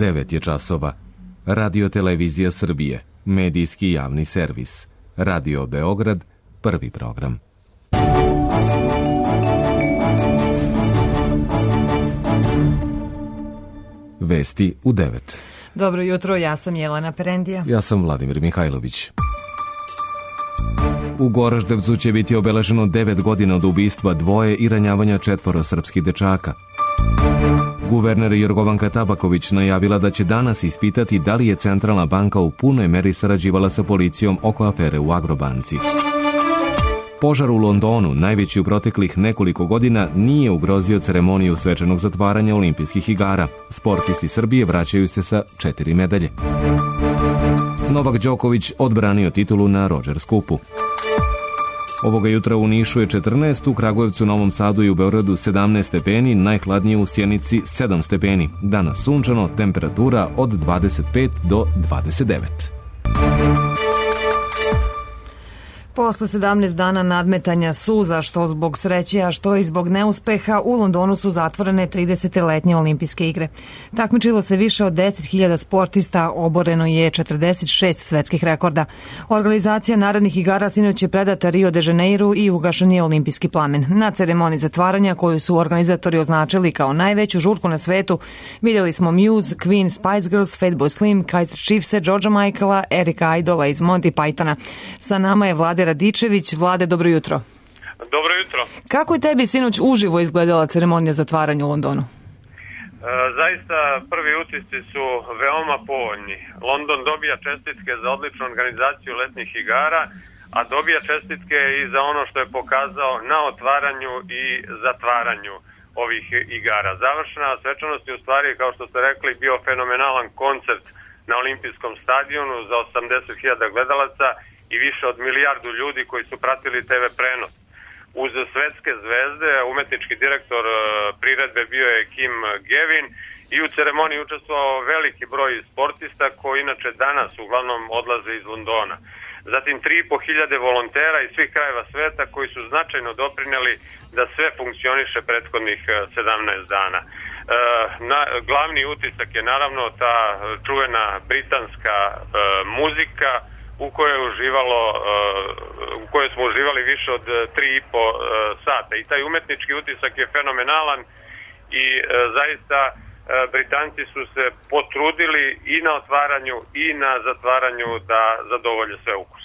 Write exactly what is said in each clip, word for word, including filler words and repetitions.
devet je časova. Radio Televizija Srbije, medijski javni servis. Radio Beograd, prvi program. Vesti u devet. Dobro jutro, ja sam Jelena Perendija. Ja sam Vladimir Mihajlović. U Goraždevcu će biti obeleženo devet godina od ubistva dvoje i ranjavanja četvoro srpskih dečaka. Guverner Jorgovanka Tabaković najavila da će danas ispitati da li je Centralna banka u punoj meri sarađivala sa policijom oko afere u Agrobanci. Požar u Londonu, najveći u proteklih nekoliko godina, nije ugrozio ceremoniju svečanog zatvaranja olimpijskih igara. Sportisti Srbije vraćaju se sa četiri medalje. Novak Đoković odbranio titulu na Rogers Cupu. Ovoga jutra u Nišu je četrnaest, u Kragujevcu, Novom Sadu i u Beogradu sedamnaest stepeni, najhladnije u Sjenici sedam stepeni. Danas sunčano, temperatura od dvadeset pet do dvadeset devet. Posle sedamnaest dana nadmetanja suza, što zbog sreće, a što i zbog neuspeha, u Londonu su zatvorene tridesetletnje olimpijske igre. Takmičilo se više od deset hiljada sportista, oboreno je četrdeset šest svetskih rekorda. Organizacija narednih igara sinoć je predata Rio de Janeiru i ugašen je olimpijski plamen. Na ceremoniji zatvaranja, koju su organizatori označili kao najveću žurku na svetu, vidjeli smo Muse, Queen, Spice Girls, Fatboy Slim, Kaiser Chiefse, Georgea Michaela, Erika Idola iz Monty Pythona. Sa nama je Vlade Radičević. Vlade, dobro jutro. Dobro jutro. Kako je tebi sinoć uživo izgledala ceremonija zatvaranja u Londonu? E, zaista prvi utisci su veoma povoljni. London dobija čestitke za odličnu organizaciju letnjih igara, a dobija čestitke i za ono što je pokazao na otvaranju i zatvaranju ovih igara. Završena svečanost je u stvari, kao što ste rekli, bio fenomenalan koncert na olimpijskom stadionu za osamdeset hiljada gledalaca i više od milijardu ljudi koji su pratili te ve prenos. Uz svetske zvezde, umetnički direktor priredbe bio je Kim Gavin i u ceremoniji učestvovao veliki broj sportista koji inače danas uglavnom odlaze iz Londona. Zatim tri i po hiljade volontera iz svih krajeva sveta koji su značajno doprineli da sve funkcioniše prethodnih sedamnaest dana. E, na, glavni utisak je naravno ta čuvena britanska e, muzika, u kojoj je uživalo, u kojoj smo uživali više od tri i po sata. I taj umetnički utisak je fenomenalan i zaista Britanci su se potrudili i na otvaranju i na zatvaranju da zadovolje sve ukus.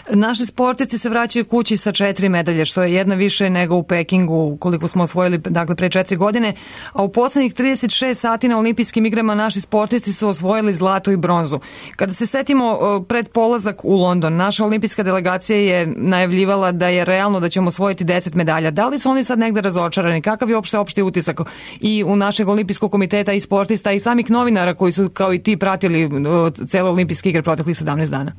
Naši sportisti se vraćaju kući sa četiri medalje, što je jedna više nego u Pekingu, koliko smo osvojili dakle, pre četiri godine, a u poslednjih trideset šest sati na olimpijskim igrama naši sportisti su osvojili zlato i bronzu. Kada se setimo pred polazak u London, naša olimpijska delegacija je najavljivala da je realno da ćemo osvojiti deset medalja. Da li su oni sad negde razočarani? Kakav je opšte opšti utisak i u našeg olimpijskog komiteta i sportista i samih novinara koji su kao i ti pratili cele olimpijske igre proteklih sedamnaest dana?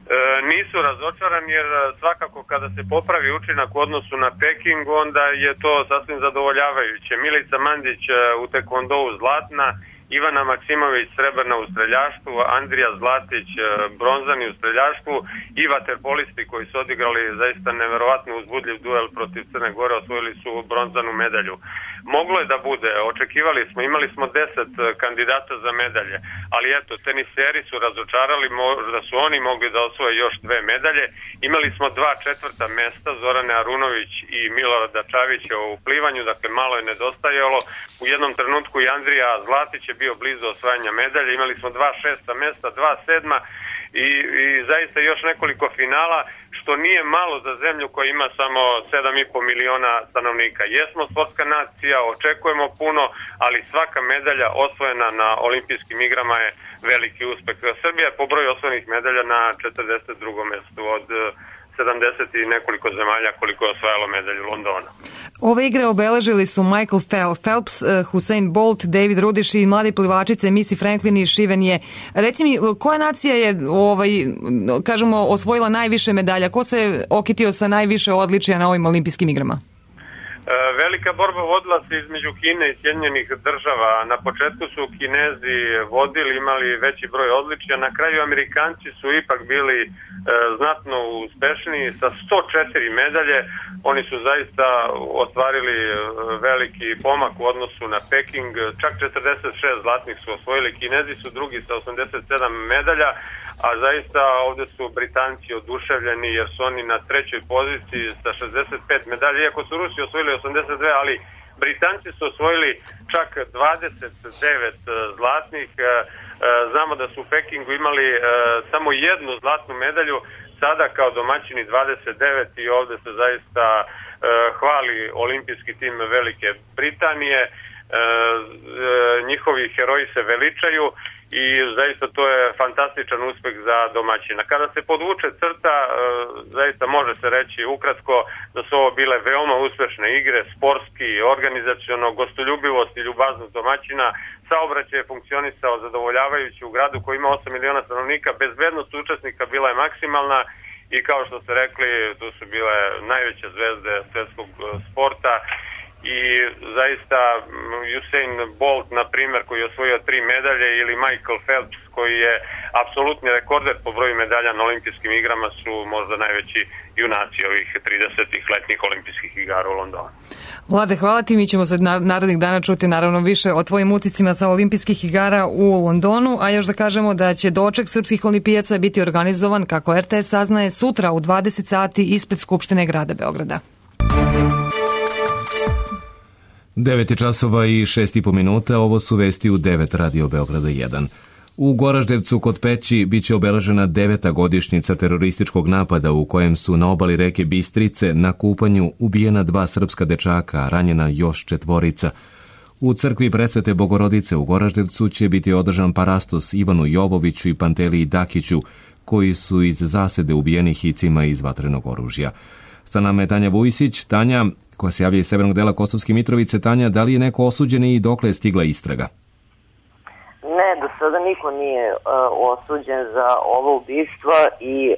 E, nisu razočarani jer svakako kada se popravi učinak u odnosu na Peking, onda je to sasvim zadovoljavajuće. Milica Mandić u tekvondou zlatna, Ivana Maksimović srebrna u streljaštvu, Andrija Zlatić bronzani u streljaštvu i vaterpolisti koji su odigrali zaista neverovatno uzbudljiv duel protiv Crne Gore, osvojili su bronzanu medalju. Moglo je da bude, očekivali smo, imali smo deset kandidata za medalje, ali eto, teniseri su razočarali, možda su oni mogli da osvoje još dve medalje. Imali smo dva četvrta mesta, Zorane Arunović i Milorada Čavića u plivanju, dakle malo je nedostajalo. U jednom trenutku i Andrija Zlatić je bio blizu osvajanja medalje, imali smo dva šesta mesta, dva sedma i, i zaista još nekoliko finala, što nije malo za zemlju koja ima samo sedam i po miliona stanovnika. Jesmo sportska nacija, očekujemo puno, ali svaka medalja osvojena na olimpijskim igrama je veliki uspeh. Srbija je po broju osvojenih medalja na četrdeset drugom mestu od sedamdeset i nekoliko zemalja koliko je osvajalo medalju Londona. Ove igre obeležili su Michael Phelps, Usain Bolt, David Rudiš i mlade plivačice Missy Franklin i Shiven Ye. Reci mi, koja nacija je ovaj, kažemo, osvojila najviše medalja? Ko se okitio sa najviše odličija na ovim olimpijskim igrama? Velika borba vodila se između Kine i Sjedinjenih država. Na početku su Kinezi vodili, imali veći broj odličja. Na kraju Amerikanci su ipak bili e, znatno uspešniji sa sto četiri medalje. Oni su zaista ostvarili veliki pomak u odnosu na Peking. Čak četrdeset šest zlatnih su osvojili. Kinezi su drugi sa osamdeset sedam medalja, a zaista ovde su Britanci oduševljeni jer su oni na trećoj poziciji sa šezdeset pet medalja, iako su Rusi osvojili osamdeset dve, ali Britanci su osvojili čak dvadeset devet zlatnih. Znamo da su u Pekingu imali samo jednu zlatnu medalju, sada kao domaćini dvadeset devet i ovde se zaista hvali olimpijski tim Velike Britanije. Njihovi heroji se veličaju i zaista to je fantastičan uspeh za domaćina. Kada se podvuče crta, zaista može se reći ukratko da su ovo bile veoma uspešne igre, sportski, organizaciono, gostoljubivost i ljubaznost domaćina. Saobraćaj je funkcionisao zadovoljavajući u gradu koji ima osam miliona stanovnika, bezbednost učesnika bila je maksimalna i kao što ste rekli, tu su bile najveće zvezde svetskog sporta. I zaista Usain Bolt, na primjer, koji je osvojio tri medalje, ili Michael Phelps, koji je apsolutni rekorder po broju medalja na olimpijskim igrama, su možda najveći junaci ovih tridesetih letnjih olimpijskih igara u Londonu. Vlade, hvala ti. Mi ćemo se narednih dana čuti naravno više o tvojim uticima sa olimpijskih igara u Londonu, a još da kažemo da će doček srpskih olimpijaca biti organizovan, kako R T S saznaje, sutra u dvadeset sati ispred Skupštine grada Beograda. devet časova i šest i po minuta, ovo su vesti u devet Radio Beograda jedan. U Goraždevcu kod Peći biće obeležena deveta godišnjica terorističkog napada u kojem su na obali reke Bistrice na kupanju ubijena dva srpska dečaka, a ranjena još četvorica. U crkvi Presvete Bogorodice u Goraždevcu će biti održan parastos Ivanu Jovoviću i Panteliji Dakiću, koji su iz zasede ubijeni hicima iz vatrenog oružja. Sa nama je Tanja Vujsić. Tanja, koja se javlja iz severnog dela Kosovske Mitrovice. Tanja, da li je neko osuđen i dokle je stigla istraga? Ne, do sada niko nije uh, osuđen za ovo ubistva i uh,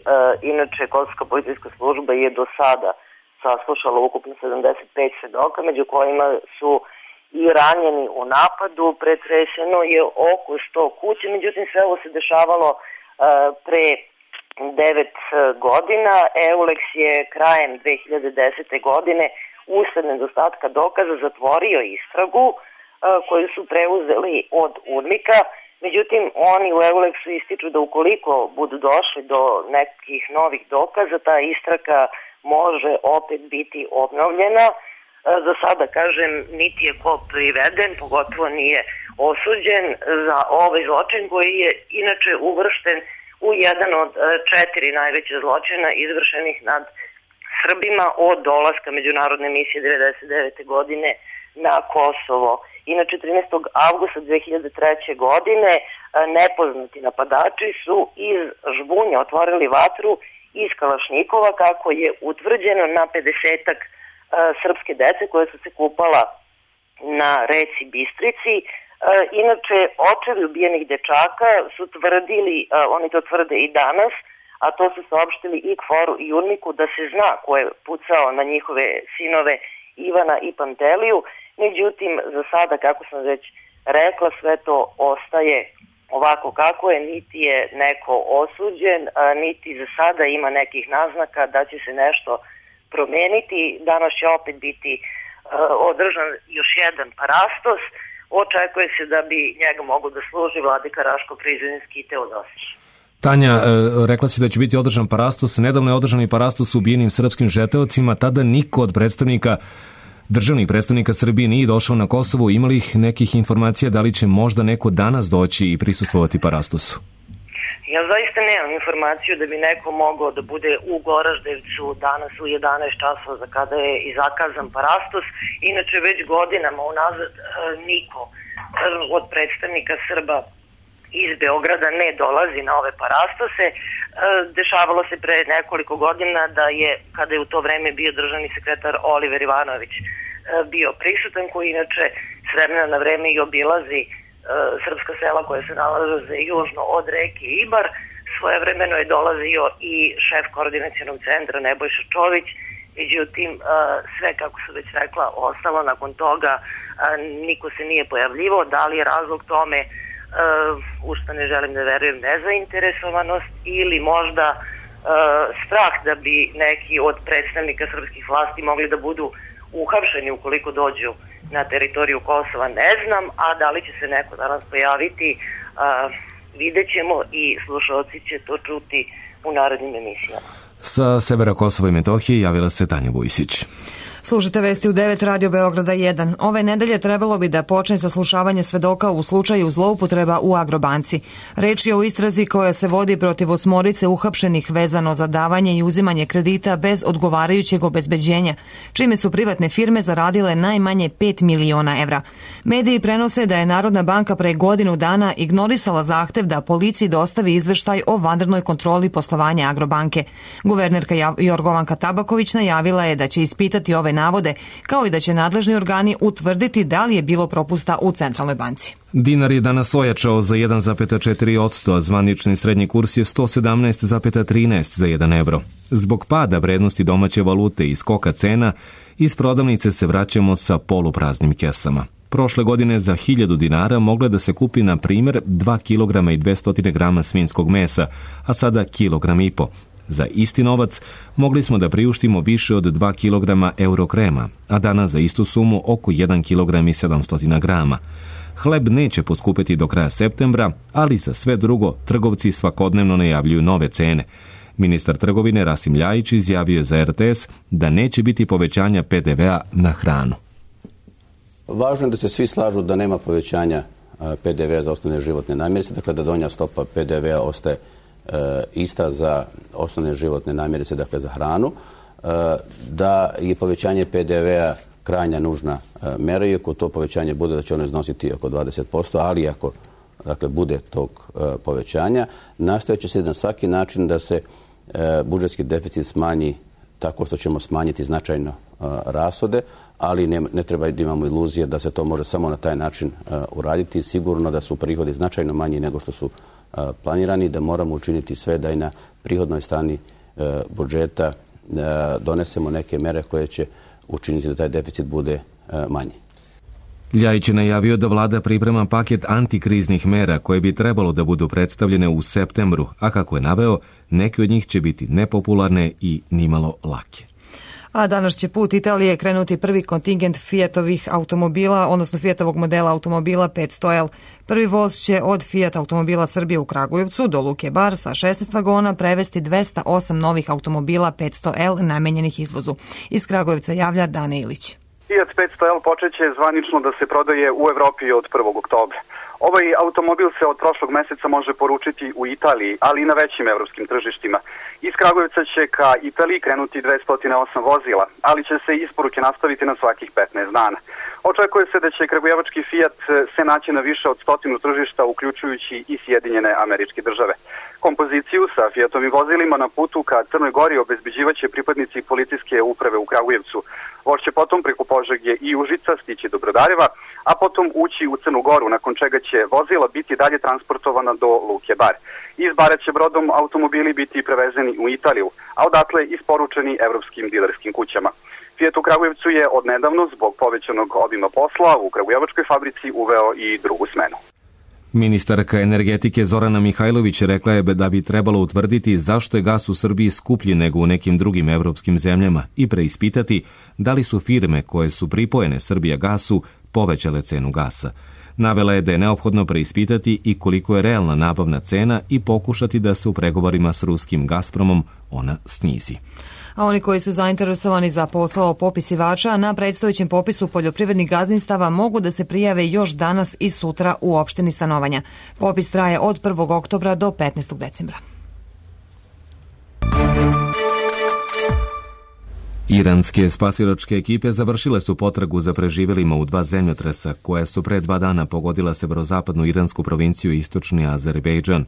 inače Kosovska policijska služba je do sada saslušala ukupno sedamdeset pet svedoka, među kojima su i ranjeni u napadu. Pretreseno je oko sto kuće, međutim sve ovo se dešavalo uh, pre devet godina. Euleks je krajem dve hiljade desete. godine usled nedostatka dokaza zatvorio istragu koju su preuzeli od UNMIK-a. Međutim, oni u Euleksu ističu da ukoliko budu došli do nekih novih dokaza, ta istraga može opet biti obnovljena. Za sada, kažem, niti je ko priveden, pogotovo nije osuđen za ovaj zločin koji je inače uvršten u jedan od četiri najveće zločina izvršenih nad Srbima od dolaska međunarodne misije devedeset devete. godine na Kosovo. Inače, trinaestog avgusta dve hiljade treće. godine nepoznati napadači su iz žbunja otvorili vatru iz kalašnjikova, kako je utvrđeno, na pedesetak srpske dece koje su se kupala na reci Bistrici. Inače, očevi ubijenih dečaka su tvrdili, oni to tvrde i danas, a to su saopštili i KFOR-u i UNMIK-u, da se zna ko je pucao na njihove sinove Ivana i Panteliju. Međutim, za sada, kako sam već rekla, sve to ostaje ovako kako je, niti je neko osuđen, niti za sada ima nekih naznaka da će se nešto promeniti. Danas će opet biti održan još jedan parastos. Očekuje se da bi njega mogo da služi vladika Raško-Prizrenski i Teodosić. Tanja, rekla si da će biti održan parastos. Nedavno je održan i parastos ubijenim srpskim žeteocima. Tada niko od predstavnika, državnih predstavnika Srbije nije došao na Kosovo. Imali ih nekih informacija da li će možda neko danas doći i prisustvovati parastosu? Ja zaista nemam informaciju da bi neko mogao da bude u Goraždevcu danas u jedanaest časova za kada je i zakazan parastos. Inače, već godinama unazad niko od predstavnika Srba iz Beograda ne dolazi na ove parastose. Dešavalo se pre nekoliko godina da je, kada je u to vreme bio državni sekretar Oliver Ivanović bio prisutan, koji inače s vremena na vreme i obilazi srpska sela koja se nalaze južno od reke Ibar. Svojevremeno je dolazio i šef koordinacionog centra Nebojša Čović Međutim, sve, kako su već rekla, ostalo nakon toga, niko se nije pojavljivao. Da li je razlog tome, u što ne želim da verujem, nezainteresovanost ili možda strah da bi neki od predstavnika srpskih vlasti mogli da budu uhapšeni ukoliko dođu na teritoriju Kosova, ne znam, a da li će se neko danas pojaviti, vidjet ćemo i slušalci će to čuti u narednim emisijama. Sa severa Kosova i Metohije javila se Tanja Vujsić. Slušajte vesti u devet Radio Beograda jedan. Ove nedelje trebalo bi da počne saslušavanje svedoka u slučaju zloupotreba u Agrobanci. Reč je o istrazi koja se vodi protiv osmorice uhapšenih vezano za davanje i uzimanje kredita bez odgovarajućeg obezbeđenja, čime su privatne firme zaradile najmanje pet miliona evra. Mediji prenose da je Narodna banka pre godinu dana ignorisala zahtev da policiji dostavi izveštaj o vanrednoj kontroli poslovanja Agrobanke. Guvernerka Jorgovanka Tabaković najavila je da će ispitati ove navode, kao i da će nadležni organi utvrditi da li je bilo propusta u Centralnoj banci. Dinar je danas ojačao za jedan zarez četiri posto, a zvanični srednji kurs je sto sedamnaest zarez trinaest za jedan evro. Zbog pada vrednosti domaće valute i skoka cena, iz prodavnice se vraćamo sa polupraznim kesama. Prošle godine za hiljadu dinara mogle da se kupi, na primjer, dva kilograma i dvesta grama svinjskog mesa, a sada kilogram i po. Za isti novac mogli smo da priuštimo više od dva kilograma eurokrema, a danas za istu sumu oko jedan kilogram i sedamsto grama. Hleb neće poskupeti do kraja septembra, ali za sve drugo trgovci svakodnevno najavljuju nove cene. Ministar trgovine Rasim Ljajić izjavio za er te es da neće biti povećanja pe de ve a na hranu. Važno je da se svi slažu da nema povećanja pe de ve a za osnovne životne namirnice, dakle da donja stopa pe de ve a ostaje E, ista za osnovne životne namirnice, dakle za hranu, e, da je povećanje pe de ve a krajnja nužna e, mera, i ako to povećanje bude da će ono iznositi oko dvadeset posto, ali ako dakle, bude tog e, povećanja, nastojat će se na svaki način da se e, budžetski deficit smanji tako što ćemo smanjiti značajno e, rashode, ali ne, ne treba da imamo iluzije da se to može samo na taj način e, uraditi. Sigurno da su prihodi značajno manji nego što su planirani, da moramo učiniti sve da i na prihodnoj strani e, budžeta e, donesemo neke mere koje će učiniti da taj deficit bude e, manji. Ljajić je najavio da vlada priprema paket antikriznih mera koje bi trebalo da budu predstavljene u septembru, a kako je naveo, neke od njih će biti nepopularne i nimalo lake. A danas će put Italije krenuti prvi kontingent Fiatovih automobila, odnosno Fiatovog modela automobila petsto el. Prvi voz će od Fiat automobila Srbije u Kragujevcu do Luke Bar sa šesnaest vagona prevesti dvesta osam novih automobila petsto el namenjenih izvozu. Iz Kragujevca javlja Dane Ilić. Fiat petsto el počeće zvanično da se prodaje u Evropi od prvog oktobra. Ovaj automobil se od prošlog meseca može poručiti u Italiji, ali i na većim evropskim tržištima. Iz Kragujevca će ka Italiji krenuti dvesta osam vozila, ali će se isporuke nastaviti na svakih petnaest dana. Očekuje se da će kragujevački Fiat se naći na više od stotinu tržišta, uključujući i Sjedinjene Američke Države. Kompoziciju sa Fiatovim vozilima na putu ka Crnoj Gori obezbeđivaće pripadnici policijske uprave u Kragujevcu. Voz će potom preko Požege i Užica stići do Brodareva, a potom ući u Crnu Goru, nakon čega će vozila biti dalje transportovana do Luke Bar. Iz Bara će brodom automobili biti prevezeni u Italiju, a odatle isporučeni evropskim dilerskim kućama. Fiat u Kragujevcu je odnedavno zbog povećanog obima posla u kragujevačkoj fabrici uveo i drugu smenu. Ministarka energetike Zorana Mihajlović rekla je da bi trebalo utvrditi zašto je gas u Srbiji skuplji nego u nekim drugim evropskim zemljama i preispitati da li su firme koje su pripojene Srbijagasu povećale cenu gasa. Navela je da je neophodno preispitati i koliko je realna nabavna cena i pokušati da se u pregovorima s ruskim Gazpromom ona snizi. A oni koji su zainteresovani za posao popisivača na predstojećem popisu poljoprivrednih gazdinstava mogu da se prijave još danas i sutra u opštini stanovanja. Popis traje od prvog oktobra do petnaestog decembra. Iranske spasilačke ekipe završile su potragu za preživelima u dva zemljotresa koja su pre dva dana pogodila severozapadnu iransku provinciju istočni Azerbejdžan.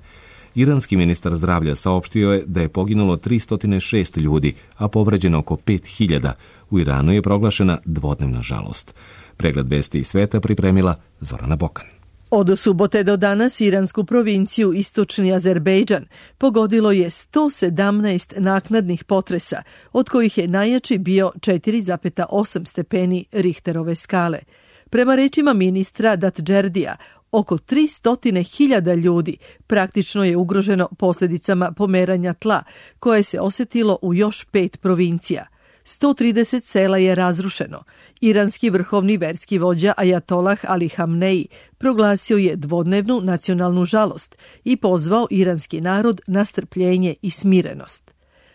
Iranski ministar zdravlja saopštio je da je poginulo tristo šest ljudi, a povređeno oko pet hiljada. U Iranu je proglašena dvodnevna žalost. Pregled vesti iz sveta pripremila Zorana Bokan. Od subote do danas iransku provinciju Istočni Azerbejdžan pogodilo je sto sedamnaest naknadnih potresa, od kojih je najjači bio četiri zarez osam stepeni Richterove skale. Prema rečima ministra Datdžerdija, oko tristo hiljada ljudi praktično je ugroženo posljedicama pomeranja tla, koje se osjetilo u još pet provincija. sto trideset sela je razrušeno. Iranski vrhovni verski vođa Ajatolah Ali Hamneji proglasio je dvodnevnu nacionalnu žalost i pozvao iranski narod na strpljenje i smirenost.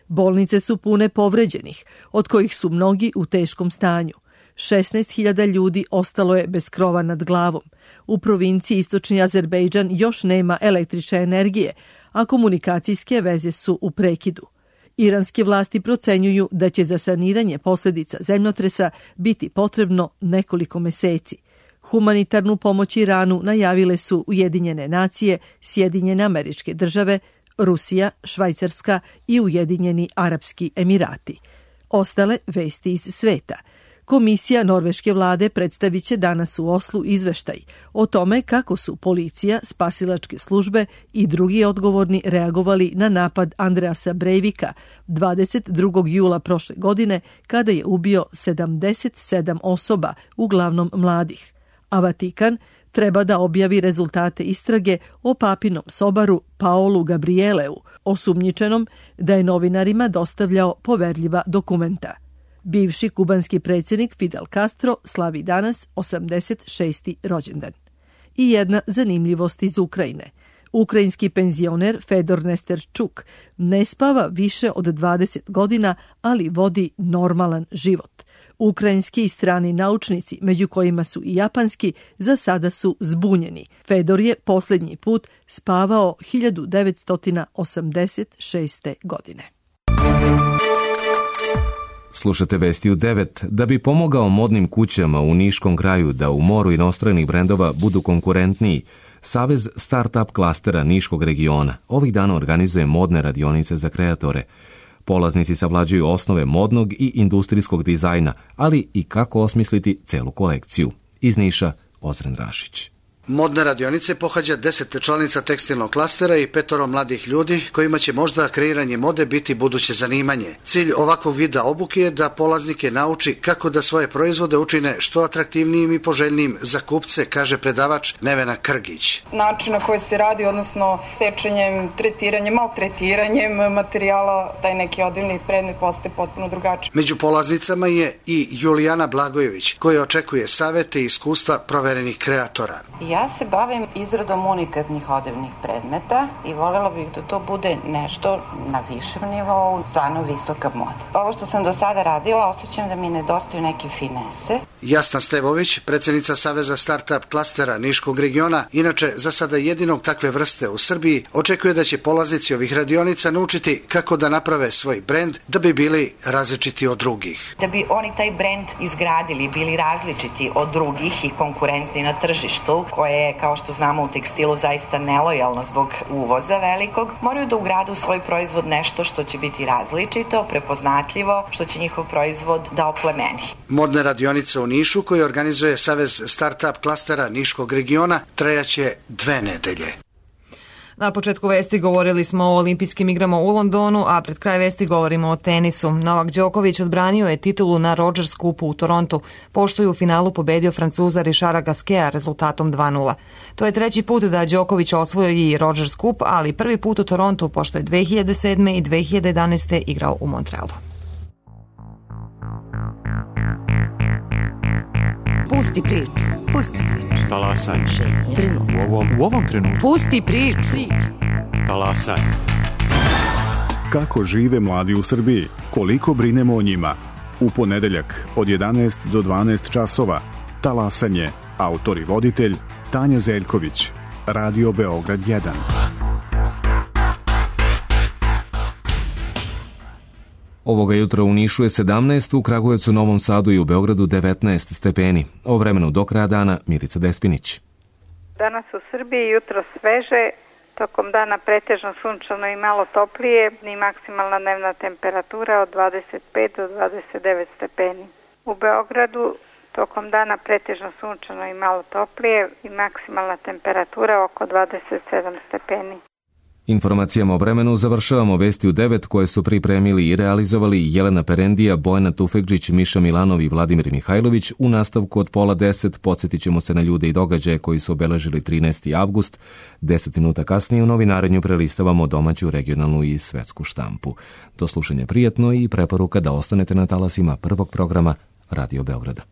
Bolnice su pune povređenih, od kojih su mnogi u teškom stanju. šesnaest hiljada ljudi ostalo je bez krova nad glavom. U provinciji Istočni Azerbejdžan još nema električne energije, a komunikacijske veze su u prekidu. Iranske vlasti procenjuju da će za saniranje posljedica zemljotresa biti potrebno nekoliko meseci. Humanitarnu pomoć Iranu najavile su Ujedinjene nacije, Sjedinjene Američke Države, Rusija, Švajcarska i Ujedinjeni Arapski Emirati. Ostale vesti iz sveta. Komisija norveške vlade predstavit će danas u Oslu izveštaj o tome kako su policija, spasilačke službe i drugi odgovorni reagovali na napad Andreasa Breivika dvadeset drugog jula prošle godine, kada je ubio sedamdeset sedam osoba, uglavnom mladih. A Vatikan treba da objavi rezultate istrage o papinom sobaru Paolu Gabrieleu, osumnjičenom da je novinarima dostavljao poverljiva dokumenta. Bivši kubanski predsjednik Fidel Castro slavi danas osamdeset šesti rođendan. I jedna zanimljivost iz Ukrajine. Ukrajinski penzioner Fedor Nesterčuk ne spava više od dvadeset godina, ali vodi normalan život. Ukrajinski i strani naučnici, među kojima su i japanski, za sada su zbunjeni. Fedor je posljednji put spavao hiljadu devetsto osamdeset šeste. godine. Slušate vesti u devet. Da bi pomogao modnim kućama u Niškom kraju da u moru inostranih brendova budu konkurentniji, Savez Startup klastera Niškog regiona ovih dana organizuje modne radionice za kreatore. Polaznici savlađuju osnove modnog i industrijskog dizajna, ali i kako osmisliti celu kolekciju. Iz Niša, Ozren Rašić. Modne radionice pohađa deset članica tekstilnog klastera i petoro mladih ljudi kojima će možda kreiranje mode biti buduće zanimanje. Cilj ovakvog vida obuke je da polaznike nauči kako da svoje proizvode učine što atraktivnijim i poželjnijim za kupce, kaže predavač Nevena Krgić. Način na koji se radi, odnosno sečenjem, tretiranjem, maltretiranjem materijala, taj neki odivni predmet postaje potpuno drugačiji. Među polaznicama je i Julijana Blagojević, koja očekuje savete i iskustva proverenih kreatora. Ja se bavim izradom unikatnih odevnih predmeta i voljela bih da to bude nešto na višem nivou, stvarno visoka moda. Ovo što sam do sada radila, osjećam da mi nedostaju neke finese. Jasna Stevović, predsjednica Saveza Startup klastera Niškog regiona, inače za sada jedinog takve vrste u Srbiji, očekuje da će polaznici ovih radionica naučiti kako da naprave svoj brend da bi bili različiti od drugih. Da bi oni taj brend izgradili, bili različiti od drugih i konkurentni na tržištu, koje je, kao što znamo, u tekstilu zaista nelojalno zbog uvoza velikog, moraju da ugrade u svoj proizvod nešto što će biti različito, prepoznatljivo, što će njihov proizvod da oplemeni. Modne radionice u Nišu, koje organizuje Savez Startup klastera Niškog regiona, trajaće dve nedelje. Na početku vesti govorili smo o olimpijskim igrama u Londonu, a pred kraj vesti govorimo o tenisu. Novak Đoković odbranio je titulu na Rogers Cupu u Torontu, pošto je u finalu pobedio Francuza Richarda Gasqueta rezultatom dva nula. To je treći put da Đoković osvojio i Rogers Cup, ali prvi put u Torontu, pošto je dve hiljade sedme i dve hiljade jedanaeste. igrao u Montrealu. Pusti priču. Pusti priču. Talasaj. Trenutno. U ovom, u ovom trenutku. Pusti priču. Talasaj. Kako žive mladi u Srbiji? Koliko brinemo o njima? U ponedeljak od jedanaest do dvanaest časova. Talasanje. Autor i voditelj Tanja Zeljković. Radio Beograd jedan. Ovoga jutra u Nišu je sedamnaest, u Kragujevcu, Novom Sadu i u Beogradu devetnaest stepeni. O vremenu do kraja dana Milica Despinić. Danas u Srbiji jutro sveže, tokom dana pretežno sunčano i malo toplije, i maksimalna dnevna temperatura od dvadeset pet do dvadeset devet stepeni. U Beogradu Tokom dana pretežno sunčano i malo toplije i maksimalna temperatura oko dvadeset sedam stepeni. Informacijama o vremenu završavamo vesti u devet koje su pripremili i realizovali Jelena Perendija, Bojana Tufekđić, Miša Milanov i Vladimir Mihajlović. U nastavku od pola deset podsjetit ćemo se na ljude i događaje koji su obeležili trinaesti avgust. Deset minuta kasnije u novinarenju prelistavamo domaću, regionalnu i svetsku štampu. Do slušanja prijetno i preporuka da ostanete na talasima prvog programa Radio Beograda.